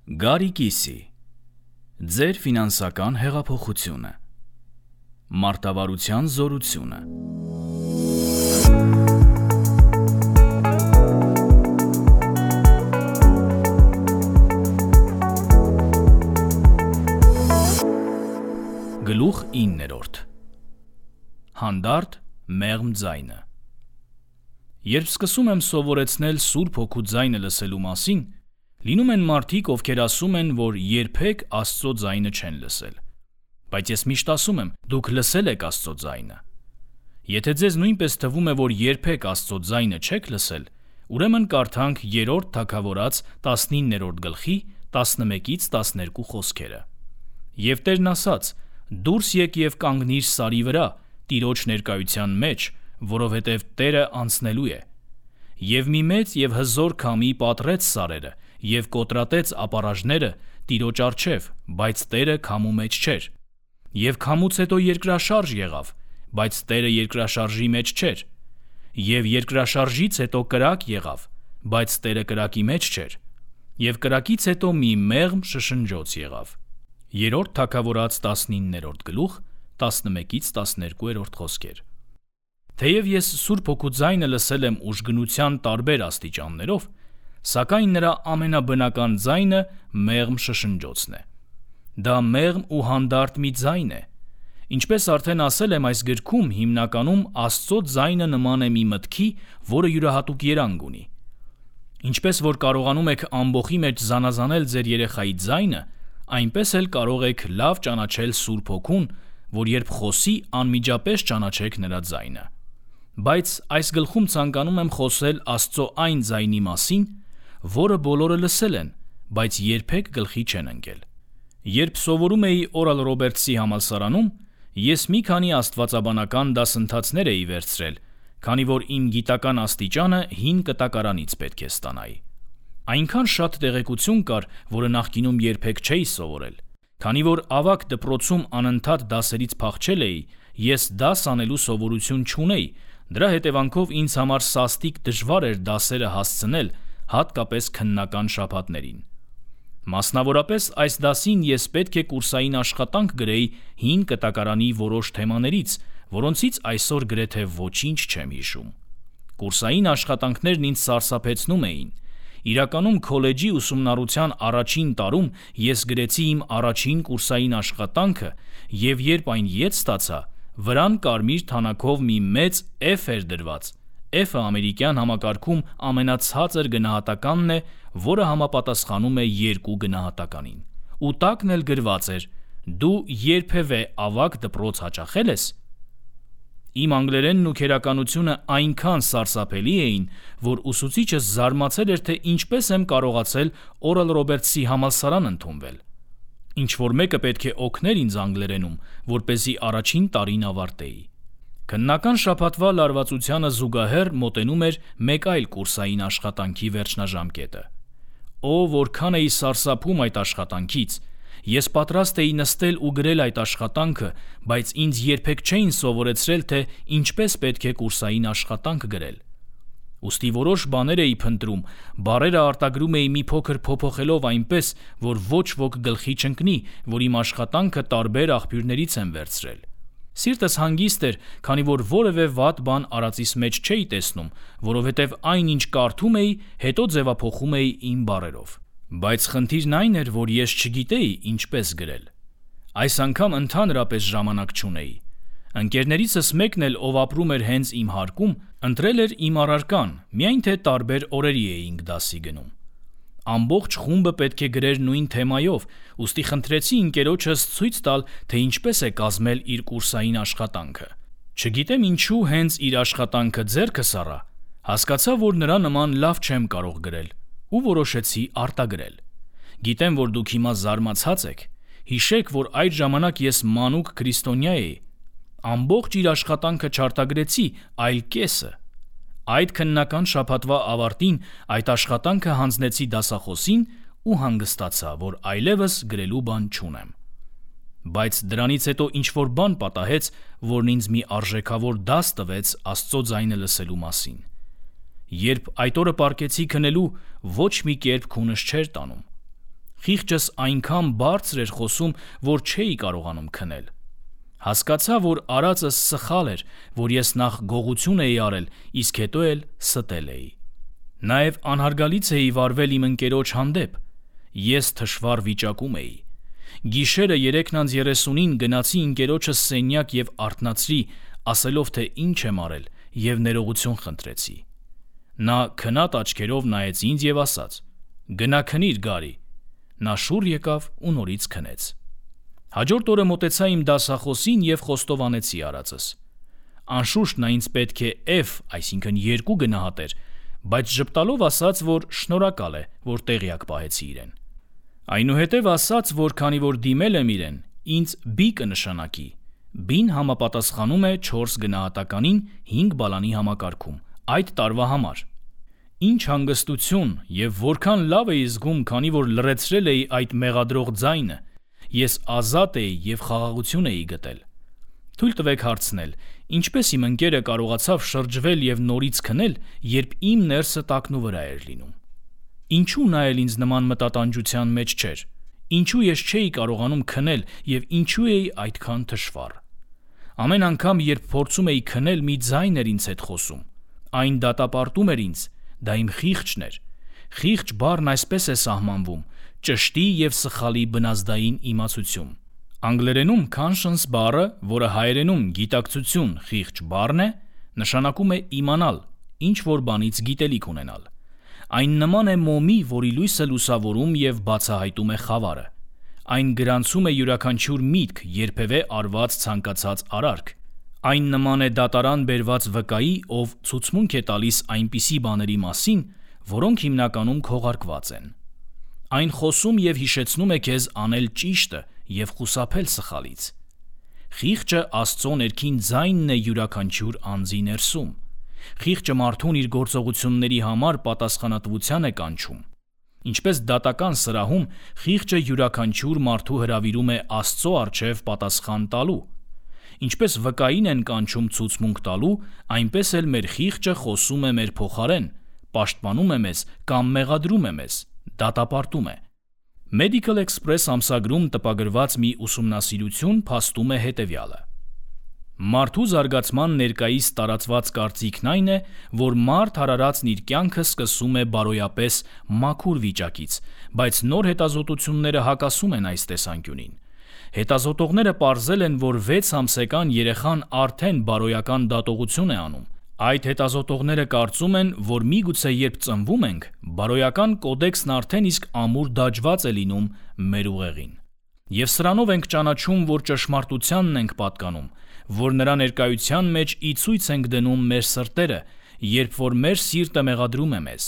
Գարի Կիսի Ձեր ֆինանսական հեղափոխությունը Մարտավարության զորությունը Գլուխ 9 Հանդարտ մեղմ ձայնը Երբ սկսում եմ սովորեցնել Սուրբ Հոգու ձայնը լսելու մասին, լինում են մարդիկ, ովքեր ասում են, որ երբեք Աստծո ձայնը չեն լսել։ Բայց ես միշտ ասում եմ, դուք լսել եք Աստծո ձայնը։ Եթե ձեզ նույնպես թվում է, որ երբեք Աստծո ձայնը չեք լսել, ուրեմն կարդանք 3-րդ Թագավորաց 19-րդ գլխի 11-ից 12 խոսքերը։ Եվ Տերն ասաց. «Դուրս եկ եւ կանգնիր սարի վրա, Տիրոջ ներկայության մեջ, որովհետև Տերը անցնելու է։ Եվ մի մեծ եւ հզոր քամի պատռեց սարերը եւ կոտրատեց ապառաժները Տիրոջ առջև, բայց Տերը քամու մեջ չէր։ Եվ քամուց հետո երկրաշարժ եղավ, բայց Տերը երկրաշարժի մեջ չէր։ Եվ երկրաշարժից հետո կրակ եղավ, բայց Տերը կրակի մեջ չէր։ Եվ կրակից հետո մի մեղմ շշնջոց եղավ»։ 3-րդ Թագավորաց 19-րդ գլուխ 11-ից 12-րդ խոսքեր։ Թեև ես Սուրբ Հոգու ձայնը լսել եմ ուժգնության տարբեր աստիճաններով, սակայն նրա ամենաբնական ձայնը մեղմ շշնջոցն է։ Դա մեղմ ու հանդարտ մի ձայն է։ Ինչպես արդեն ասել եմ այս գրքում, հիմնականում Աստծո ձայնը նման է մի մտքի, որը յուրահատուկ երանգ ունի։ Ինչպես որ կարողանում եք ամբոխի մեջ զանազանել ձեր երեխայի ձայնը, այնպես էլ կարող եք լավ ճանաչել Սուրբ Հոգուն, որ երբ խոսի, անմիջապես ճանաչեք նրա ձայնը։ Բայց այս գլխում ցանկանում եմ խոսել Աստծո այն ձայնի մասին, որը բոլորը լսել են, բայց երբեք գլխի չեն ընկել։ Երբ սովորում էի Օրալ Ռոբերտսի համալսարանում, ես մի քանի աստվածաբանական դասընթացներ էի վերցրել, քանի որ իմ գիտական աստիճանը հին կտակարանից պետք է ստանայի։ Այնքան շատ տեղեկություն կար, որը նախկինում երբեք չէի սովորել։ Քանի որ ավագ դպրոցում անընդհատ դասերից փախչել էի, ես դաս անելու սովորություն չունեի, դրա հետևանքով ինձ համար սաստիկ դժվար էր դասերը հասցնել, հատկապես քննական շաբաթներին։ Մասնավորապես այս դասին ես պետք է կուրսային աշխատանք գրեի հին կտակարանի որոշ թեմաներից, որոնցից այսօր գրեթե ոչինչ չեմ հիշում։ Կուրսային աշխատանքներն ինձ սարսափեցնում էին։ Իրականում քոլեջի ուսումնառության առաջին տարում ես գրեցի իմ առաջին կուրսային աշխատանքը և երբ այն ետ ստացա, վրան կարմիր թանաքով մի մեծ F էր դրված։ F-ը ամերիկյան համակարգում ամենացածր գնահատականն է, որը համապատասխանում է 2 գնահատականին։ Ու տակն էլ գրված էր. «Դու երբևէ ավագ դպրոց հաճախել ես»։ Իմ անգլերենն ու քերականությունը այնքան սարսափելի էին, որ ուսուցիչս զարմացել էր, թե ինչպես եմ կարողացել Օրալ Ռոբերտսի համալսարան ընդունվել։ Ինչ-որ մեկը պետք է օգներ ինձ անգլերենում, որպեսզի առաջին տարին ավարտեի։ Քննական շաբաթվա լարվածությանը զուգահեռ մոտենում էր մեկ այլ կուրսային աշխատանքի վերջնաժամկետը։ Օ, որքան էի սարսափում այդ աշխատանքից։ Ես պատրաստ էի նստել ու գրել այդ աշխատանքը, բայց ինձ երբեք չէին սովորեցրել, թե ինչպես պետք է կուրսային աշխատանք գրել։ Ուստի որոշ բաներ էի փնտրում, բառերը արտագրում էի մի փոքր փոփոխելով այնպես, որ ոչ ոք գլխի չընկնի, որ իմ աշխատանքը տարբեր աղբյուրներից եմ վերցրել։ Սիրտս հանգիստ էր, քանի որ որևէ վատ բան արածիս մեջ չէի տեսնում, որովհետև այն, ինչ կարդում էի, հետո ձևափոխում էի իմ բառերով։ Բայց խնդիրն այն էր, որ ես չգիտեի ինչպես գրել։ Այս անգամ ընդհանրապես ժամանակ չունեի։ Ընկերներիցս մեկն էլ, ով ապրում էր հենց իմ հարկում, ընտրել էր իմ առարկան, միայն թե տարբեր օրերի էինք դասի գնում։ Ամբողջ խումբը պետք է գրեր նույն թեմայով, ուստի խնդրեցի ընկերոջս ցույց տալ, թե ինչպես է կազմել իր կուրսային աշխատանքը։ Չգիտեմ ինչու հենց իր աշխատանքը ձեռքս առա, հասկացա, որ նրա նման լավ չեմ կարող գրել ու որոշեցի արտագրել։ Գիտեմ, որ դուք հիմա զարմացած եք։ Հիշեք, որ այդ ժամանակ ես մանուկ քրիստոնյա էի։ Ամբողջ իր աշխատանքը չարտագրեցի, այլ կեսը։ Այդ քննական շաբաթվա ավարտին այդ աշխատանքը հանձնեցի դասախոսին ու հանգստացա, որ այլևս գրելու բան չունեմ։ Բայց դրանից հետո ինչ-որ բան պատահեց, որն ինձ մի արժեքավոր դաս տվեց Աստծո ձայնը լսելու մասին։ Երբ այդ օրը պառկեցի քնելու, ոչ մի կերպ քունս չէր տանում։ Խիղճս այնքան բարձր էր խոսում, որ չէի կարողանում քնել։ Հասկացա, որ արածս սխալ էր, որ ես նախ գողություն էի արել, իսկ հետո էլ ստել էի։ Նաև անհարգալից էի վարվել իմ ընկերոջ հանդեպ։ Ես թշվառ վիճակում էի։ Գիշերը 3:30-ին գնացի ընկերոջս սենյակ և արթնացրի, ասելով, թե ինչ եմ արել, և ներողություն խնդրեցի։ Նա քնած աչքերով նայեց ինձ և ասաց. «Գնա քնիր, Գարի»։ Նա շուռ եկավ ու նորից քնեց։ Հաջորդ օրը մոտեցա իմ դասախոսին և խոստովանեցի արածս։ Անշուշտ նա ինձ պետք է F, այսինքն 2 գնահատեր, բայց ժպտալով ասաց, որ շնորհակալ է, որ տեղյակ պահեցի իրեն։ Այնուհետև ասաց, որ քանի որ դիմել եմ իրեն, ինձ B կնշանակի։ B-ն համապատասխանում է 4 գնահատականին 5 բալանի համակարգում, այդ տարվա համար։ Ինչ հանգստություն և որքան լավ էի զգում, քանի որ լռեցրել էի այդ մեղադրող ձայնը, ես ազատ էի և խաղաղություն էի գտել։ Թույլ տվեք հարցնել, ինչպես իմ ընկերը կարողացավ շրջվել և նորից քնել, երբ իմ ներսը տակնուվրա էր լինում։ Ինչու նա էլ ինձ նման մտատանջության մեջ չէր։ Ինչու ես չէի կարողանում քնել և ինչու էի այդքան թշվառ։ Ամեն անգամ, երբ փորձում էի քնել, մի ձայն էր ինձ հետ խոսում։ Այն դատապարտում էր ինձ, դա իմ խիղճն էր։ Խիղճ բառն այսպես է սահմանվում. ճշտի և սխալի բնազդային իմացություն։ Անգլերենում conscience բառը, որը հայերենում գիտակցություն խիղճ բառն է, նշանակում է իմանալ, ինչ որ բանից գիտելիք ունենալ։ Այն նման է մոմի, որի լույսը լուսավորում և բացահայտում է խավարը։ Այն գրանցում է յուրաքանչյուր միտք, երբևէ արված ցանկացած արարք։ Այն նման է դատարան բերված վկայի, ով ցուցմունք է տալիս այնպիսի բաների մասին, որոնք հիմնականում քողարկված են։ Այն խոսում և հիշեցնում է քեզ անել ճիշտը և խուսափել սխալից։ Խիղճը Աստծո ներքին ձայնն է յուրաքանչյուր անձի ներսում։ Խիղճը մարդուն իր գործողությունների համար պատասխանատվության է կանչում։ Ինչպես դատական սրահում խիղճը յուրաքանչյուր մարդու հրավիրում է Աստծո առջև պատասխան տալու։ Ինչպես վկային են կանչում ցուցմունք տալու, այնպես էլ մեր խիղճը խոսում է մեր փոխարեն, պաշտպանում է մեզ կամ մեղադրում է մեզ, դատապարտում է։ Medical Express ամսագրում տպագրված մի ուսումնասիրություն փաստում է հետևյալը. Մարդու զարգացման ներկայիս տարածված կարծիքն այն է, որ մարդ արարածն իր կյանքը սկսում է բարոյապես մաքուր վիճակից, բայց նոր հետազոտությունները հակասում են այս տեսանկյունին։ Հետազոտողները պարզել են, որ 6 ամսեկան երեխան արդեն բարոյական դատողություն է անում։ Այդ հետազոտողները կարծում են, որ միգուցե երբ ծնվում ենք, բարոյական կոդեքսն արդեն իսկ ամուր դաջված է լինում մեր ուղեղին։ Եվ սրանով ենք ճանաչում, որ ճշմարտությանն ենք պատկանում, որ նրա ներկայության մեջ ի ցույց ենք դնում մեր սրտերը, երբ որ մեր սիրտը մեղադրում է մեզ,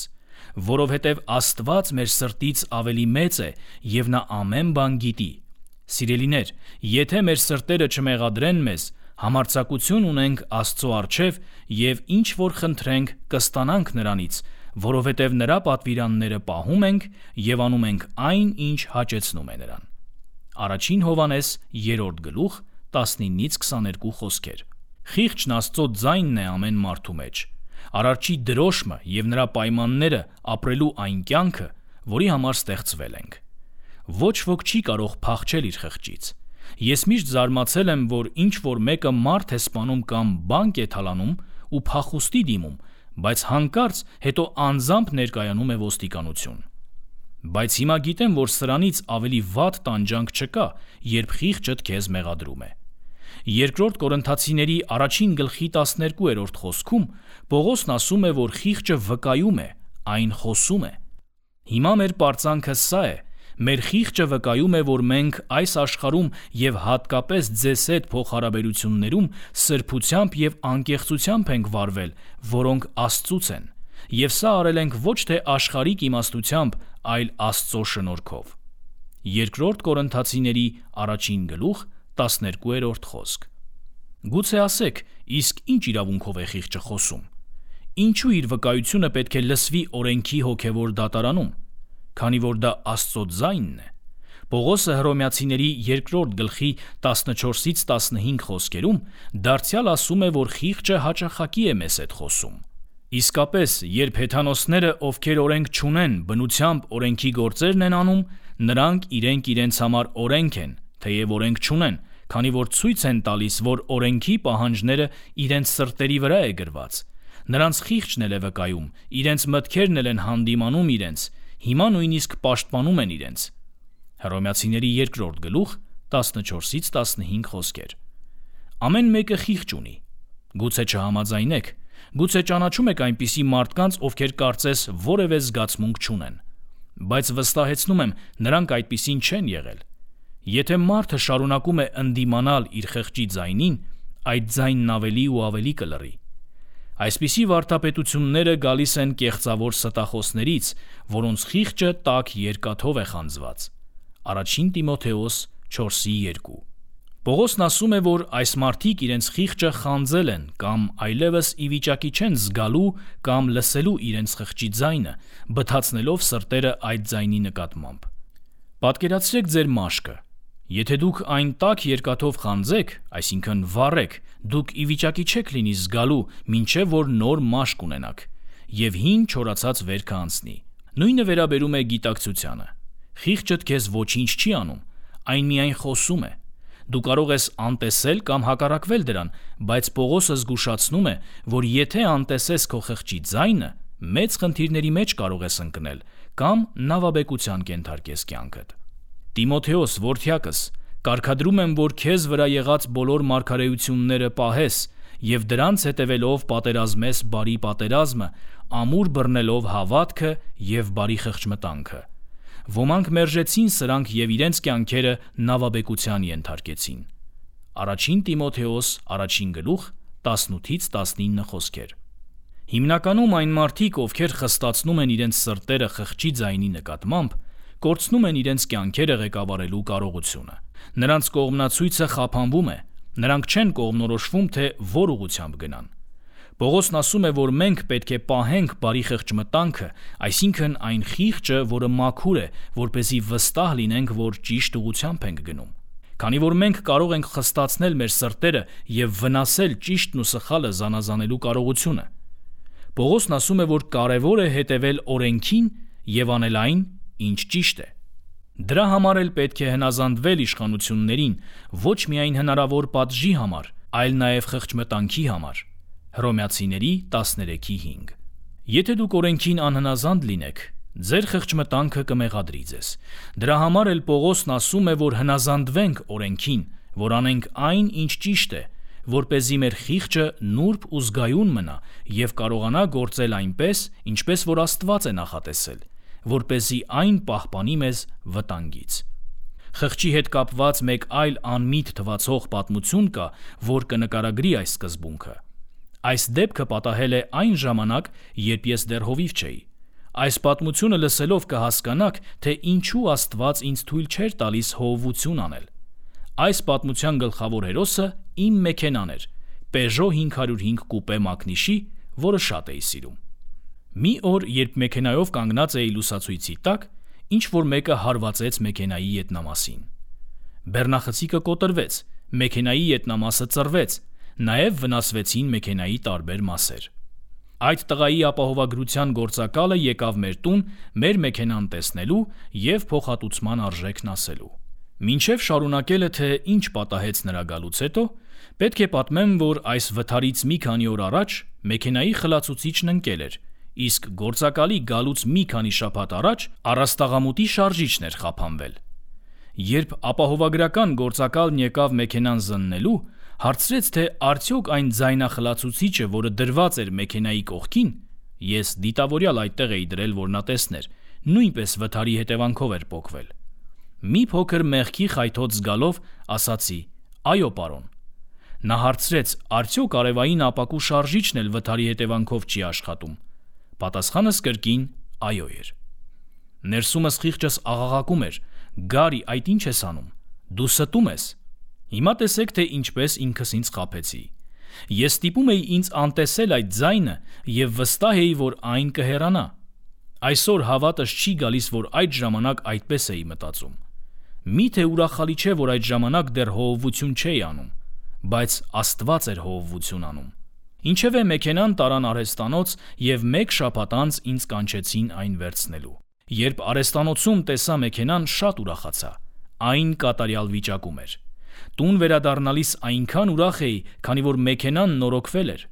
որովհետև Աստված մեր սրտից ավելի մեծ է և նա ամեն բան գիտի։ Սիրելիներ, եթե մեր սրտերը չմեղադրեն մեզ, համարձակություն ունենք Աստծո առջև և ինչ որ խնդրենք կստանանք նրանից, որովհետև նրա պատվիրանները պահում ենք և անում ենք այն, ինչ հաճեցնում է նրան։ Առաջին Հովհաննես 3 գլուխ 19-22 խոսքեր։ Խիղճն Աստծո ձայնն է ամեն մարդու մեջ, Արարչի դրոշմը և նրա պայմանները ապրելու այն կյանքը, որի համար ստեղծվել ենք։ Ոչ ոք չի կարող փախչել իր խղճից։ Ես միշտ զարմացել եմ, որ ինչ որ մեկը մարդ է սպանում կամ բանկ է թալանում ու փախուստի դիմում, բայց հանկարծ հետո անձամբ ներկայանում է ոստիկանություն։ Բայց հիմա գիտեմ, որ սրանից ավելի վատ տանջանք չկա, երբ խիղճդ քեզ մեղադրում է։ 2 Կորինթացիների 1:12 խոսքում Պողոսն ասում է, որ խիղճը վկայում է, այն խոսում է։ Հիմա մեր պարծանքը սա է. մեր խիղճը վկայում է, որ մենք այս աշխարհում և հատկապես ձեզ հետ փոխհարաբերություններում սրբությամբ և անկեղծությամբ ենք վարվել, որոնք Աստծուց են, և սա արել ենք ոչ թե աշխարհիկ իմաստությամբ, այլ Աստծո շնորհքով։ 2 Կորինթացիների 1:12 խոսք։ Գուցե ասեք, իսկ ինչ իրավունքով է խիղճը խոսում։ Ինչու իր վկայությունը պետք է լսվի օրենքի հոգևոր դատարանում, քանի որ դա Աստծո ձայնն է։ Պողոսը Հռոմեացիների 2 գլխի 14-15 խոսքերում դարձյալ ասում է, որ խիղճը հաճախակի է մեզ հետ խոսում։ Իսկապես, երբ հեթանոսները, ովքեր օրենք չունեն, բնությամբ օրենքի գործերն են անում, Նրանք իրենց համար օրենք են, թեև օրենք չունեն, քանի որ ցույց են տալիս, որ օրենքի պահանջները իրենց սրտերի վրա է գրված։ Նրանց խիղճն էլ է վկայում, իրենց մտքերն էլ են հանդիմանում իրենց, հիմա նույնիսկ պաշտպանում են իրենց։ Հռոմեացիների 2-րդ գլուխ 14-15 խոսքեր։ Ամեն մեկը խիղճ ունի։ Գուցե չհամաձայնեք, գուցե ճանաչում եք այնպիսի մարդկանց, ովքեր կարծես որևէ զգացմունք չունեն, բայց վստահեցնում եմ, նրանք այդպիսին չեն եղել։ Եթե մարդը շարունակում է ընդդիմանալ իր խղճի ձայնին, այդ ձայնն ավելի ու ավելի կլռի։ Այսպիսի վարդապետությունները գալիս են կեղծավոր ստախոսներից, որոնց խիղճը տաք երկաթով է խանձված։ Առաջին Տիմոթեոս 4:2։ Պողոսն ասում է, որ այս մարդիկ իրենց խիղճը խանձել են կամ այլևս ի վիճակի չեն զգալու կամ լսելու իրենց խղճի ձայնը, բթացնելով սրտերը այդ ձայնի նկատմամբ։ Պատկերացրեք ձեր մաշկը։ Եթե դուք այն տաք երկաթով խանձեք, այսինքն վառեք, դուք ի վիճակի չեք լինի զգալու, մինչև որ նոր մաշկ ունենաք, և հին չորացած վերքը անցնի։ Նույնը վերաբերում է գիտակցությանը։ Խիղճդ քեզ ոչինչ չի անում, այն միայն խոսում է։ Դու կարող ես անտեսել կամ հակառակվել դրան, բայց Պողոսը զգուշացնում է, որ եթե անտեսես քո խղճի ձայնը, մեծ խնդիրների մեջ կարող ես ընկնել կամ նավաբեկության կենթարկես կյանքդ։ Տիմոթեոս, որդյակս, կարգադրում եմ, որ քեզ վրա եղած բոլոր մարգարեությունները պահես և դրանց հետևելով պատերազմես բարի պատերազմը, ամուր բռնելով հավատքը և բարի խղճմտանքը։ Ոմանք մերժեցին սրանք և իրենց կյանքերը նավաբեկության ենթարկեցին։ Առաջին Տիմոթեոս 1 գլուխ 18-19 խոսքեր։ Հիմնականում այն մարդիկ, ովքեր խստացնում են իրենց սրտերը խղճի ձայնի նկատմամբ, կորցնում են իրենց կյանքերը ղեկավարելու կարողությունը։ Նրանց կողմնացույցը խափանվում է, նրանք չեն կողմնորոշվում, թե որ ուղղությամբ գնան։ Պողոսն ասում է, որ մենք պետք է պահենք բարի խղճմտանքը, այսինքն այն խիղճը, որը մաքուր է, որպեսզի վստահ լինենք, որ ճիշտ ուղղությամբ ենք գնում։ Քանի որ մենք կարող ենք խստացնել մեր սրտերը և վնասել ճիշտն ու սխալը զանազանելու կարողությունը։ Պողոսն ասում է, որ կարևոր է հետևել օրենքին և անել այն, ինչ ճիշտ է։ Դրա համար էլ պետք է հնազանդվել իշխանություններին, ոչ միայն հնարավոր պատժի համար, այլ նաև խղճմտանքի համար։ Հռոմեացիների 13:5։ Եթե դուք օրենքին անհնազանդ լինեք, ձեր խղճմտանքը կմեղադրի ձեզ։ Դրա համար էլ Պողոսն ասում է, որ հնազանդվենք օրենքին, որ անենք այն, ինչ ճիշտ է, որպեսզի մեր խիղճը նուրբ ու զգայուն մնա և կարողանա գործել այնպես, ինչպես որ Աստված է նախատեսել, որպեսզի այն պահպանի մեզ վտանգից։ Խղճի հետ կապված մեկ այլ անմիտ թվացող պատմություն կա, որ կնկարագրի այս սկզբունքը։ Այս դեպքը պատահել է այն ժամանակ, երբ ես դեռ հովիվ չէի։ Այս պատմությունը լսելով կհասկանաք, թե ինչու Աստված ինձ թույլ չէր տալիս հովվություն անել։ Այս պատմության գլխավոր հերոսը իմ մեքենան էր, Peugeot 505 կուպե մակնիշի, որը շատ էի սիրում։ Մի օր, երբ մեքենայով կանգնած էի լուսացույցի տակ, ինչ-որ մեկը հարվածեց մեքենայի ետնամասին։ Բեռնախցիկը կոտրվեց, մեքենայի ետնամասը ծռվեց, նաև վնասվեցին մեքենայի տարբեր մասեր։ Այդ տղայի ապահովագրության գործակալը եկավ մեր տուն մեր մեքենան տեսնելու և փոխհատուցման արժեքն ասելու։ Մինչև շարունակելը, թե ինչ պատահեց նրա գալուց հետո, պետք է պատմեմ, որ այս վթարից մի քանի օր առաջ մեքենայի խլացուցիչն ընկել էր, իսկ գործակալի գալուց մի քանի շաբաթ առաջ առաստաղամուտի շարժիչն էր խափանվել։ Երբ ապահովագրական գործակալն եկավ մեքենան զննելու, հարցրեց, թե արդյոք այն ձայնախլացուցիչը, որը դրված էր մեքենայի կողքին, ես դիտավորյալ այդտեղ էի դրել, որ նա տեսներ, նույնպես վթարի հետևանքով էր պոկվել։ Մի փոքր մեղքի խայթոց զգալով ասացի. «Այո, պարոն»։ Նա հարցրեց. «Արդյոք արևային ապակու շարժիչն էլ վթարի հետևանքով չի աշխատում»։ Պատասխանս կրկին այո էր։ Ներսումս խիղճս աղաղակում էր. «Գարի, այդ ինչ ես անում։ Դու ստում ես»։ Հիմա տեսեք, թե ինչպես ինքս ինձ խաբեցի։ Ես ստիպում էի ինձ անտեսել այդ ձայնը և վստահ էի, որ այն կհեռանա։ Այսօր հավատս չի գալիս, որ այդ ժամանակ այդպես էի մտածում։ Միթե ուրախալի չէ, որ այդ ժամանակ դեռ հովվություն չէի անում, բայց Աստված էր հովվություն անում։ Ինչևէ մեքենան տարան արհեստանոց և մեկ շաբաթ անց ինձ կանչեցին այն վերցնելու։ Երբ արհեստանոցում տեսա մեքենան, շատ ուրախացա։ Այն կատարյալ վիճակում էր։ Տուն վերադառնալիս այնքան ուրախ էի, քանի որ մեքենան նորոգվել էր։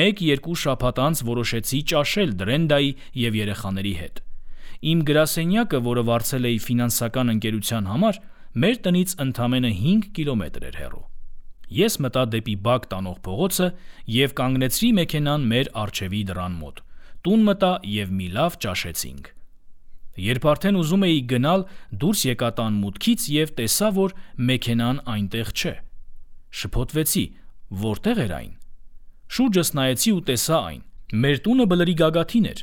1-2 շաբաթ անց որոշեցի ճաշել Դրենդայի և երեխաների հետ։ Իմ գրասենյակը, որը վարձել էի ֆինանսական ընկերության համար, մեր տնից ընդամենը 5 կիլոմետր էր հեռու։ Ես մտա դեպի բակ տանող փողոցը և կանգնեցրի մեքենան մեր առջևի դռան մոտ։ Տուն մտա և մի լավ ճաշեցինք։ Երբ արդեն ուզում էի գնալ, դուրս եկա տան մուտքից և տեսա, որ մեքենան այնտեղ չէ։ Շփոթվեցի, որտե՞ղ էր այն։ Շուրջս նայեցի ու տեսա այն։ Մեր տունը բլրի գագաթին էր,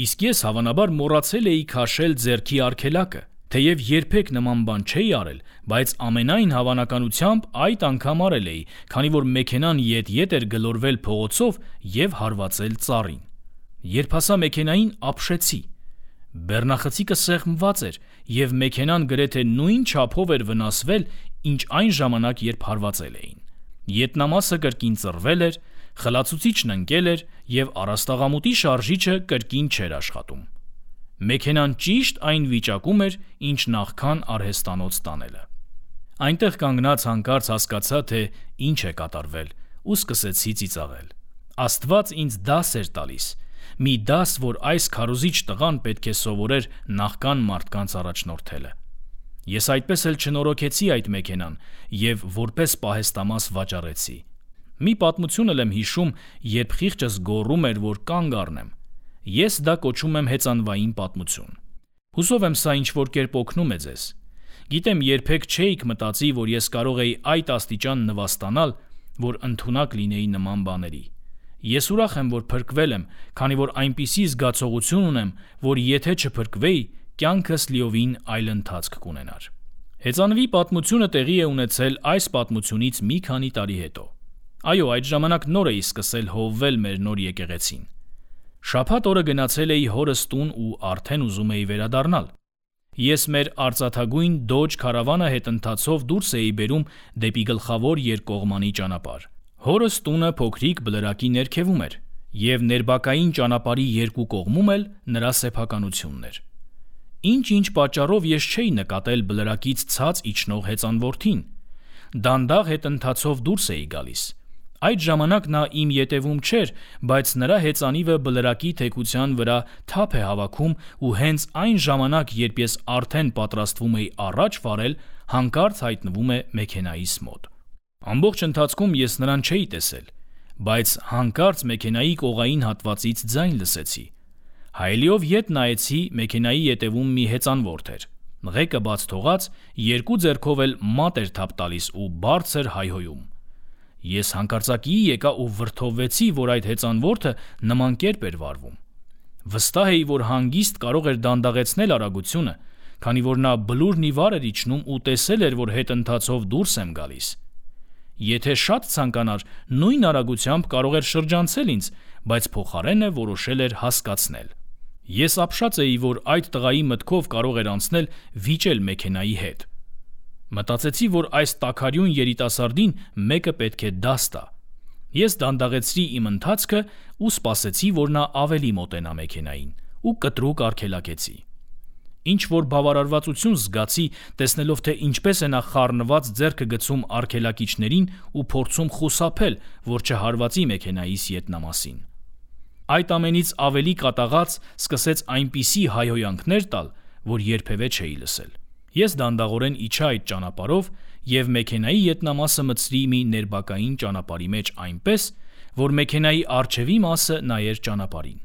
իսկ ես հավանաբար մոռացել էի քաշել ձեռքի արգելակը։ Թեև երբեք նման բան չէի արել, բայց ամենայն հավանականությամբ այդ անգամ արել էի, քանի որ մեքենան ետ-ետ էր գլորվել փողոցով և հարվածել ծառին։ Երբ հասա մեքենային, ապշեցի։ Բեռնախցիկը սեղմված էր, և մեքենան գրեթե նույն չափով էր վնասվել, ինչ այն ժամանակ, երբ հարվածել էին։ Ետնամասը կրկին ծռվել էր, խլացուցիչն ընկել էր, և առաստաղամուտի շարժիչը կրկին չէր աշխատում։ Մեքենան ճիշտ այն վիճակում էր, ինչ նախքան արհեստանոց տանելը։ Այնտեղ կանգնած հանկարծ հասկացա, թե ինչ է կատարվել, ու սկսեցի ծիծաղել։ Աստված ինձ դաս էր տալիս, մի դաս, որ այս քարոզիչ տղան պետք է սովորեր նախքան մարդկանց առաջնորդելը։ Ես այդպես էլ չնորոգեցի այդ մեքենան և որպես պահեստամաս վաճառեցի։ Մի պատմություն էլ եմ հիշում, երբ խիղճս գոռում էր, որ կանգ առնեմ։ Ես դա կոչում եմ հեծանվային պատմություն։ Հուսով եմ սա ինչ-որ կերպ օգնում է ձեզ։ Գիտեմ, երբեք չէիք մտածի, որ ես կարող էի այդ աստիճան նվաստանալ, որ ընդունակ լինեի նման բաների։ Ես ուրախ եմ, որ փրկվել եմ, քանի որ այնպիսի զգացողություն ունեմ, որ եթե չփրկվեի, կյանքս լիովին այլ ընթացք կունենար։ Հեծանվի պատմությունը տեղի է ունեցել այս պատմությունից մի քանի տարի հետո։ Այո, այդ ժամանակ նոր էի սկսել հովվել մեր նոր եկեղեցին։ Շաբաթ օրը գնացել էի հորս տուն ու արդեն ուզում էի վերադառնալ։ Ես մեր արծաթագույն Dodge քարավանը հետընթացով դուրս էի բերում դեպի գլխավոր երկկողմանի ճանապարհ։ Հորս տունը փոքրիկ բլրակի ներքևում էր, և ներբակային ճանապարհի երկու կողմում էլ նրա սեփականությունն էր։ Ինչ-ինչ պատճառով ես չէի նկատել բլրակից ցած իջնող հեծանվորդին։ Դանդաղ հետընթացով դուրս էի գալիս։ Այդ ժամանակ նա իմ ետևում չէր, բայց նրա հեծանիվը բլրակի թեքության վրա թափ է հավաքում ու հենց այն ժամանակ, երբ ես արդեն պատրաստվում էի առաջ վարել, հանկարծ հայտնվում է մեքենայիս մոտ։ Ամբողջ ընթացքում ես նրան չէի տեսել, բայց հանկարծ մեքենայի կողային հատվածից ձայն լսեցի։ Հայելիով ետ նայեցի, մեքենայի ետևում մի հեծանվորդ էր։ Ղեկը բաց թողած, երկու ձեռքով էլ մատ էր թափ տալիս ու բարձր հայհոյում։ Ես հանկարծակիի եկա ու վրդովվեցի, որ այդ հեծանվորդը նման կերպ էր վարվում։ Վստահ էի, որ հանգիստ կարող էր դանդաղեցնել արագությունը, քանի որ նա բլուրն ի վար էր իջնում ու տեսել էր, որ հետընթացով դուրս եմ գալիս։ Եթե շատ ցանկանար, նույն արագությամբ կարող էր շրջանցել ինձ, բայց փոխարենը որոշել էր հասկացնել։ Ես ապշած էի, որ այդ տղայի մտքով կարող էր անցնել վիճել մեքենայի հետ։ Մտածեցի, որ այս տաքարյուն երիտասարդին մեկը պետք է դաս տա։ Ես դանդաղեցրի իմ ընթացքը ու սպասեցի, որ նա ավելի մոտենա մեքենային ու կտրուկ արգելակեցի։ Ինչ-որ բավարարվածություն զգացի, տեսնելով, թե ինչպես է նա խառնված ձեռքը գցում արգելակիչներին ու փորձում խուսափել, որ չհարվածի մեքենայիս ետնամասին։ Այդ ամենից ավելի կատաղած սկսեց այնպիսի հայհոյանքներ տալ, որ երբևէ չէի լսել։ Ես դանդաղորեն իջա այդ ճանապարհով և մեքենայի ետնամասը մտցրի մի ներբակային ճանապարհի մեջ այնպես, որ մեքենայի առջևի մասը նայեր ճանապարհին։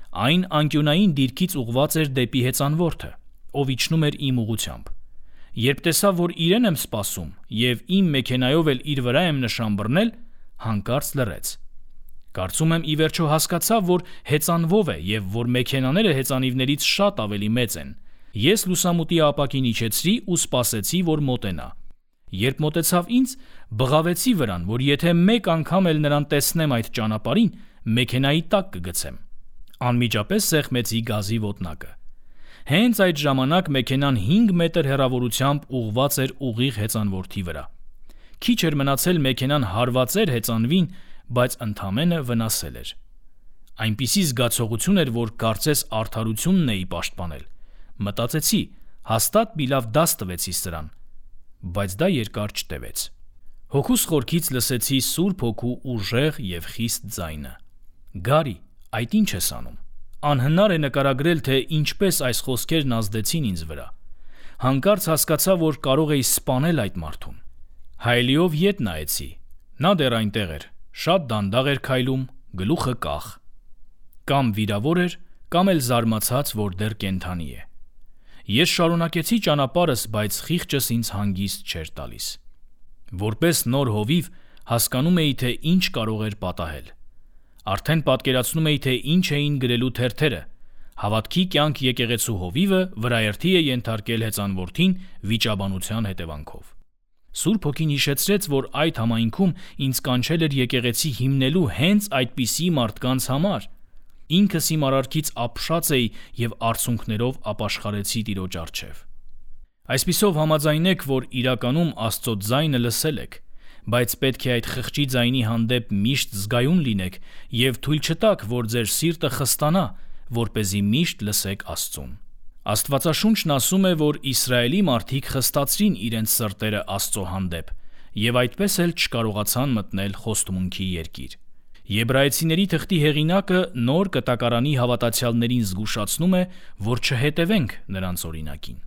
Այն անկյունային դիրքից ուղղված էր դեպի հեծանվորդը, ով իջնում էր իմ ուղղությամբ։ Երբ տեսա, որ իրեն եմ սպասում և իմ մեքենայով էլ իր վրա եմ նշան բռնել, հանկարծ լռեց։ Կարծում եմ, ի վերջո հասկացավ, որ հեծանվով է և որ մեքենաները հեծանիվներից շատ ավելի մեծ են։ Ես լուսամուտի ապակին իջեցրի ու սպասեցի, որ մոտենա։ Երբ մոտեցավ ինձ, բղավեցի վրան, որ եթե մեկ անգամ էլ նրան տեսնեմ այդ ճանապարհին, մեքենայի տակ կգցեմ։ Անմիջապես սեղմեցի գազի ոտնակը։ Հենց այդ ժամանակ մեքենան 5 մետր հեռավորությամբ ուղղված էր ուղիղ հեծանվորդի վրա։ Քիչ էր մնացել մեքենան հարվածեր հեծանվին, բայց ընդամենը վնասել էր։ Այնպիսի զգացողություն էր, որ կարծես արդարությունն էի պաշտպանել, Մտածեցի, հաստատ մի լավ դաս տվեցի սրան, բայց դա երկար չտևեց։ Հոգուս խորքից լսեցի Սուրբ Հոգու ուժեղ և խիստ ձայնը. «Գարի, այդ ի՞նչ ես անում»։ Անհնար է նկարագրել, թե ինչպես այս խոսքերն ազդեցին ինձ վրա։ Հանկարծ հասկացա, որ կարող էի սպանել այդ մարդուն։ Հայելիով ետ նայեցի։ Նա դեռ այնտեղ էր, շատ դանդաղ էր քայլում, գլուխը կախ։ Կամ վիրավոր էր, կամ էլ զարմացած, որ դեռ կենդանի է։ Ես շարունակեցի ճանապարհս, բայց խիղճս ինձ հանգիստ չէր տալիս։ Որպես նոր հովիվ հասկանում էի, թե ինչ կարող էր պատահել։ Արդեն պատկերացնում էի, թե ինչ էին գրելու թերթերը։ Հավատքի կյանք եկեղեցու հովիվը վրաերթի է ենթարկել հեծանվորդին վիճաբանության հետևանքով։ Սուրբ Հոգին հիշեցրեց, որ այդ համայնքում ինձ կանչել էր եկեղեցի հիմնելու հենց այդպիսի մարդկանց համար։ Ինքս իմ արարքից ապշած էի և արցունքներով ապաշխարեցի Տիրոջ առջև։ Այսպիսով համաձայնեք, որ իրականում Աստծո ձայնը լսել եք, բայց պետք է այդ խղճի ձայնի հանդեպ միշտ զգայուն լինեք և թույլ չտաք, որ ձեր սիրտը խստանա, որպեսզի միշտ լսեք Աստծուն։ Աստվածաշունչն ասում է, որ Իսրայելի մարդիկ խստացրին իրենց սրտերը Աստծո հանդեպ և այդպես էլ չկարողացան մտնել խոստմունքի երկիր։ Եբրայեցիների թղթի հեղինակը նոր կտակարանի հավատացյալներին զգուշացնում է, որ չհետևենք նրանց օրինակին։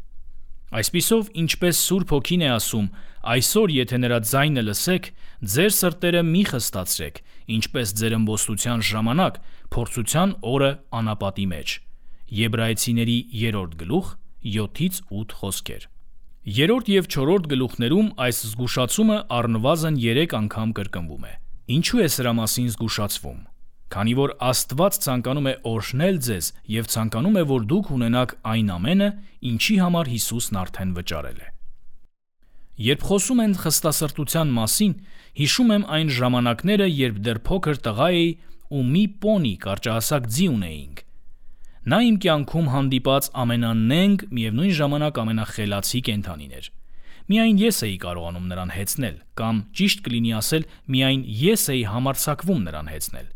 Այսպիսով, ինչպես Սուրբ Հոգին է ասում, այսօր եթե նրա ձայնը լսեք, ձեր սրտերը մի խստացրեք, ինչպես ձեր ըմբոստության ժամանակ, փորձության օրը անապատի մեջ։ Եբրայեցիների 3 գլուխ 7-8 խոսքեր։ 3 և 4 գլուխներում այս զգուշացումը առնվազն 3 անգամ կրկնվում է։ Ինչու է սրա մասին զգուշացվում։ Քանի որ Աստված ցանկանում է օրհնել ձեզ և ցանկանում է, որ դուք ունենաք այն ամենը, ինչի համար Հիսուսն արդեն վճարել է։ Երբ խոսում են խստասրտության մասին, հիշում եմ այն ժամանակները, երբ դեռ փոքր տղա էի ու մի պոնի կարճահասակ ձի ունեինք։ Նա իմ կյանքում հանդիպած ամենանենգ, միևնույն ժամանակ ամենախելացի կենդանին էր։ Միայն ես էի կարողանում նրան հեծնել, կամ ճիշտ կլինի ասել, միայն ես էի համարձակվում նրան հեծնել։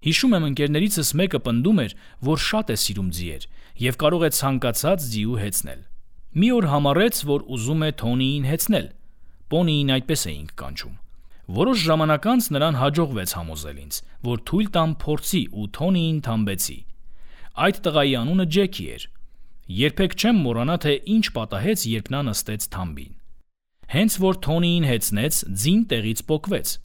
Հիշում եմ, ընկերներիցս մեկը պնդում էր, որ շատ է սիրում ձիեր և կարող է ցանկացած ձիու հեծնել։ Մի օր համառեց, որ ուզում է Թոնիին հեծնել։ Պոնիին այդպես էինք կանչում։ Որոշ ժամանակ անց նրան հաջողվեց համոզել ինձ, որ թույլ տամ փորձի ու Թոնիին թամբեցի։ Այդ տղայի անունը Ջեքի էր։ Երբեք չեմ մոռանա, թե ինչ պատահեց, երբ նա նստեց թամբին։ Հենց որ Թոնիին հեծնեց, ձին տեղից պոկվեց։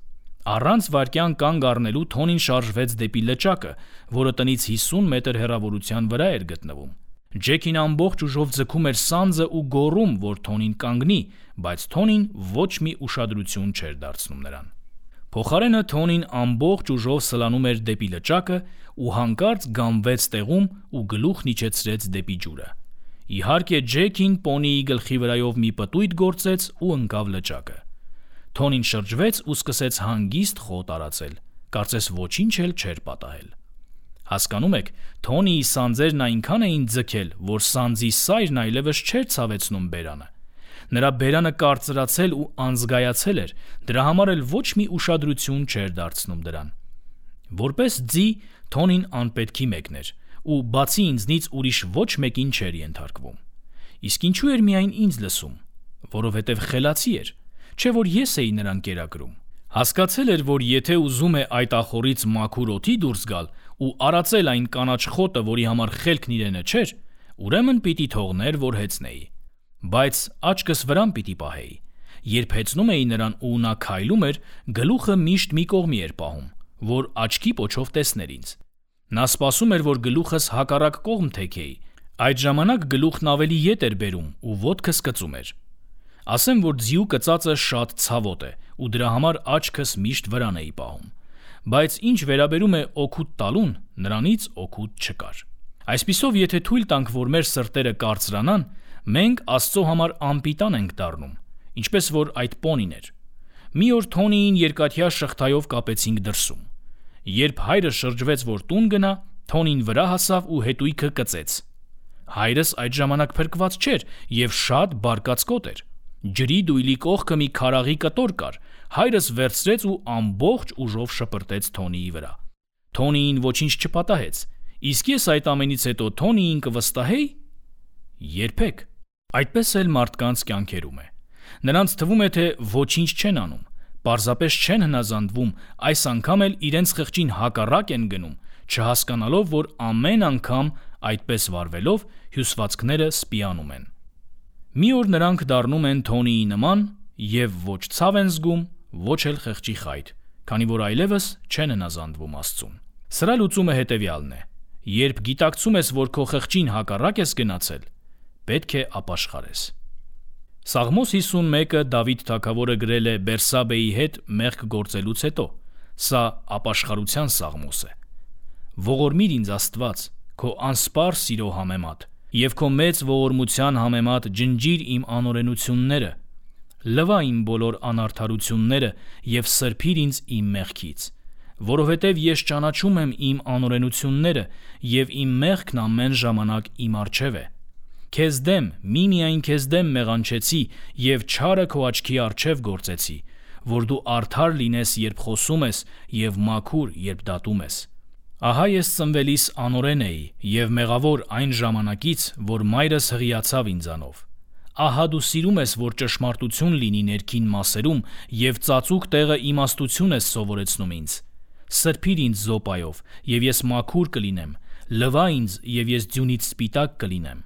Առանց վայրկյան կանգ առնելու Թոնին շարժվեց դեպի լճակը, որը տնից 50 մետր հեռավորության վրա էր գտնվում։ Ջեքին ամբողջ ուժով ձգում էր սանձը ու գոռում, որ Թոնին կանգնի, բայց Թոնին ոչ մի ուշադրություն չէր դարձնում նրան։ Փոխարենը Թոնին ամբողջ ուժով սլանում էր դեպի լճակը ու հանկարծ գամվեց տեղում ու գլուխն իջեցրեց դեպի ջուրը։ Իհարկե Ջեքին պոնիի գլխի վրայով մի պտույտ գործեց ու ընկավ լճակը։ Թոնին շրջվեց ու սկսեց հանգիստ խոտ արածել, կարծես ոչինչ էլ չէր պատահել։ Հասկանում եք, Թոնիի սանձերն այնքան էին ձգել, որ սանձի սայրն այլևս չէր ցավեցնում բերանը։ Նրա բերանը կարծրացել ու անզգայացել էր, դրա համար էլ ոչ մի ուշադրություն չէր դարձնում դրան։ Որպես ձի, Թոնին անպետքի մեկն էր, ու բացի ինձնից ուրիշ ոչ մեկին չէր ենթարկվում։ Իսկ ինչու էր միայն ինձ լսում, որովհետև խելացի էր, չէ որ ես էի նրան կերակրում։ Հասկացել էր, որ եթե ուզում է այդ ախորից մաքուր օդի դուրս գալ ու արածել այն կանաչ խոտը, որի համար խելքն իրենը չէր, ուրեմն պիտի թողներ, որ հեծնեի։ Բայց աչքս վրան պիտի պահեի։ Երբ հեծնում էի նրան ու նա քայլում էր, գլուխը միշտ մի կողմի էր պահում, որ աչքի պոչով տեսներ ինձ։ Նա սպասում էր, որ գլուխս հակառակ կողմ թեքեի։ Այդ ժամանակ գլուխն ավելի ետ էր բերում ու ոտքս կծում էր։ Ասեմ, որ ձիու կծածը շատ ցավոտ է ու դրա համար աչքս միշտ վրան էի պահում։ Բայց ինչ վերաբերում է օգուտ տալուն, նրանից օգուտ չկար։ Այսպիսով, եթե թույլ տանք, որ մեր սրտերը կարծրանան, մենք Աստծո համար անպիտան ենք դառնում, ինչպես որ այդ պոնին էր։ Մի օր Թոնիին երկաթյա շղթայով կապեցինք դրսում։ Երբ հայրը շրջվեց, որ տուն գնա, Թոնին վրա հասավ ու հետույքը կծեց։ Հայրս այդ ժամանակ փրկված չէր և շատ բարկացկոտ էր։ Ջրի դույլի կողքը մի քարաղի կտոր կար, հայրս վերցրեց ու ամբողջ ուժով շպրտեց Թոնիի վրա։ Թոնիին ոչինչ չպատահեց, իսկ ես այդ ամենից հետո Թոնիին կվստահեի։ Երբեք։ Այդպես էլ մարդկանց կյանքերում է։ Նրանց թվում է, թե ոչինչ չեն անում, պարզապես չեն հնազանդվում, այս անգամ էլ իրենց խղճին հակառակ են գնում, չհասկանալով, որ ամեն անգամ այդպես վարվելով հյուսվածքները սպիանում են։ Մի օր նրանք դառնում են Թոնիի նման եւ ոչ ցավ են զգում, ոչ էլ խղճի խայտ, քանի որ այլևս չեն հնազանդվում Աստծուն։ Սրա լուծումը հետևյալն է. երբ գիտակցում ես, որ քո խղճին հակառակ ես գնացել, պետք է ապաշխարես։ Սաղմոս 51-ը Դավիթ թագավորը գրել է Բերսաբեի հետ մեղք գործելուց հետո։ Սա ապաշխարության սաղմոս է։ Ողորմիր ինձ Աստված, քո անսպառ սիրո համեմատ, եւ քո մեծ ողորմության համեմատ ջնջիր իմ անօրենությունները, լվա իմ բոլոր անարդարությունները եւ սրբիր ինձ իմ մեղքից, որովհետեւ ես ճանաչում եմ իմ անօրենությունները եւ իմ մեղքն ամեն ժամանակ իմ առջեւ է։ Քեզ դեմ, միմիայն քեզ դեմ մեղանչեցի եւ չարը քո աչքի առջեւ գործեցի, որ դու արդար լինես, երբ խոսում ես, եւ մաքուր, երբ դատում ես։ Ահա ես ծնվելիս անօրեն էի եւ մեղավոր այն ժամանակից, որ մայրս հղիացավ ինձանով։ Ահա դու սիրում ես, որ ճշմարտություն լինի ներքին մասերում եւ ծածուկ տեղը իմաստություն ես սովորեցնում ինձ։ Սրբիր ինձ զոպայով, եւ ես մաքուր կլինեմ, լվա ինձ, եւ ես ձյունից սպիտակ կլինեմ։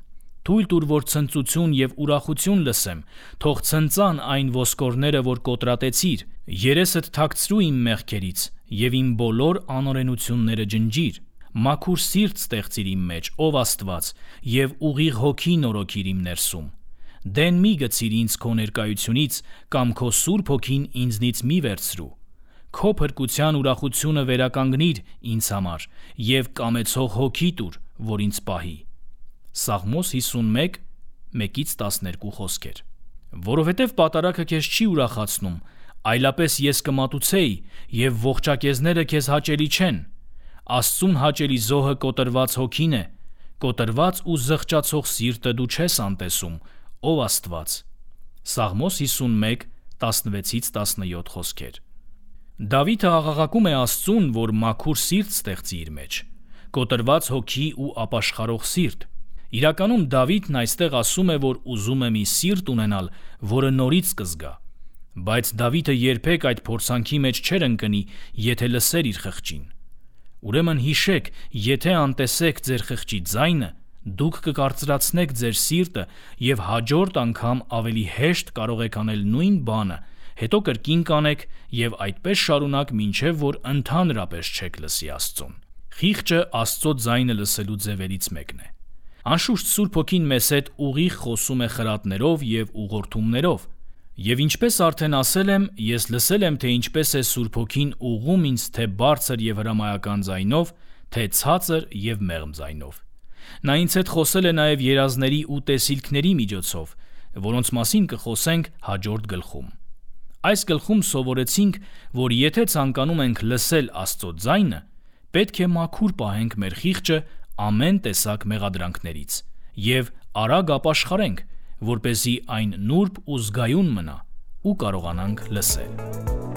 Թույլ տուր, որ ցնծություն եւ ուրախություն լսեմ, թող ցնծան այն ոսկորները, որ կոտրատեցիր, երեսդ թաքցրու իմ մեղքերից եւ իմ բոլոր անօրենությունները ջնջիր։ Մաքուր սիրտ ստեղծիր իմ մեջ, ով Աստված, եւ ուղիղ հոգի նորոգիր իմ ներսում։ Դեն մի գցիր ինձ քո ներկայությունից, կամ քո սուրբ հոգին ինձնից մի վերցրու։ Քո փրկության ուրախությունը վերականգնիր ինձ համար եւ կամեցող հոգի տուր, որ ինձ պահի։ Սաղմոս 51, 1-12 խոսքեր։ Որովհետև պատարագը քեզ չի ուրախացնում, այլապես ես կմատուցեի, եւ ողջակեզները քեզ հաճելի չեն։ Աստծուն հաճելի զոհը կոտրված հոգին է, կոտրված ու զղջացող սիրտը դու չես անտեսում, ով Աստված։ Սաղմոս 51, 16-17 խոսքեր։ Դավիթը աղաղակում է Աստծուն, որ մաքուր սիրտ ստեղծի իր մեջ, կոտրված հոգի ու ապաշխարող սիրտ։ Իրականում Դավիթն այստեղ ասում է, որ ուզում է մի սիրտ ունենալ, որը նորից կզգա, բայց Դավիթը երբեք այդ փորձանքի մեջ չէր ընկնի, եթե լսեր իր խղճին։ Ուրեմն հիշեք, եթե անտեսեք ձեր խղճի ձայնը, դուք կկարծրացնեք ձեր սիրտը եւ հաջորդ անգամ ավելի հեշտ կարող եք անել նույն բանը, հետո կրկին կանեք եւ այդպես շարունակ, մինչեւ որ ընդհանրապես չեք լսի Աստծուն։ Խիղճը Աստծո ձայնը լսելու ձևերից մեկն է։ Անշուշտ Սուրբ Հոգին մեզ հետ ուղիղ խոսում է խրատներով եւ ուղղորդումներով, եւ ինչպես արդեն ասել եմ, ես լսել եմ, թե ինչպես է Սուրբ Հոգին ուղղում ինձ թե բարձր եւ հրամայական ձայնով, թե ցածր եւ մեղմ ձայնով։ Նա ինձ հետ խոսել է նաեւ երազների ու տեսիլքների միջոցով, որոնց մասին կխոսենք հաջորդ գլխում։ Այս գլխում սովորեցինք, որ եթե ցանկանում ենք լսել Աստծո ձայնը, պետք է մաքուր պահենք մեր խիղճը ամեն տեսակ մեղադրանքներից եւ արագ ապաշխարենք, որպեսզի այն նուրբ ու զգայուն մնա ու կարողանանք լսել։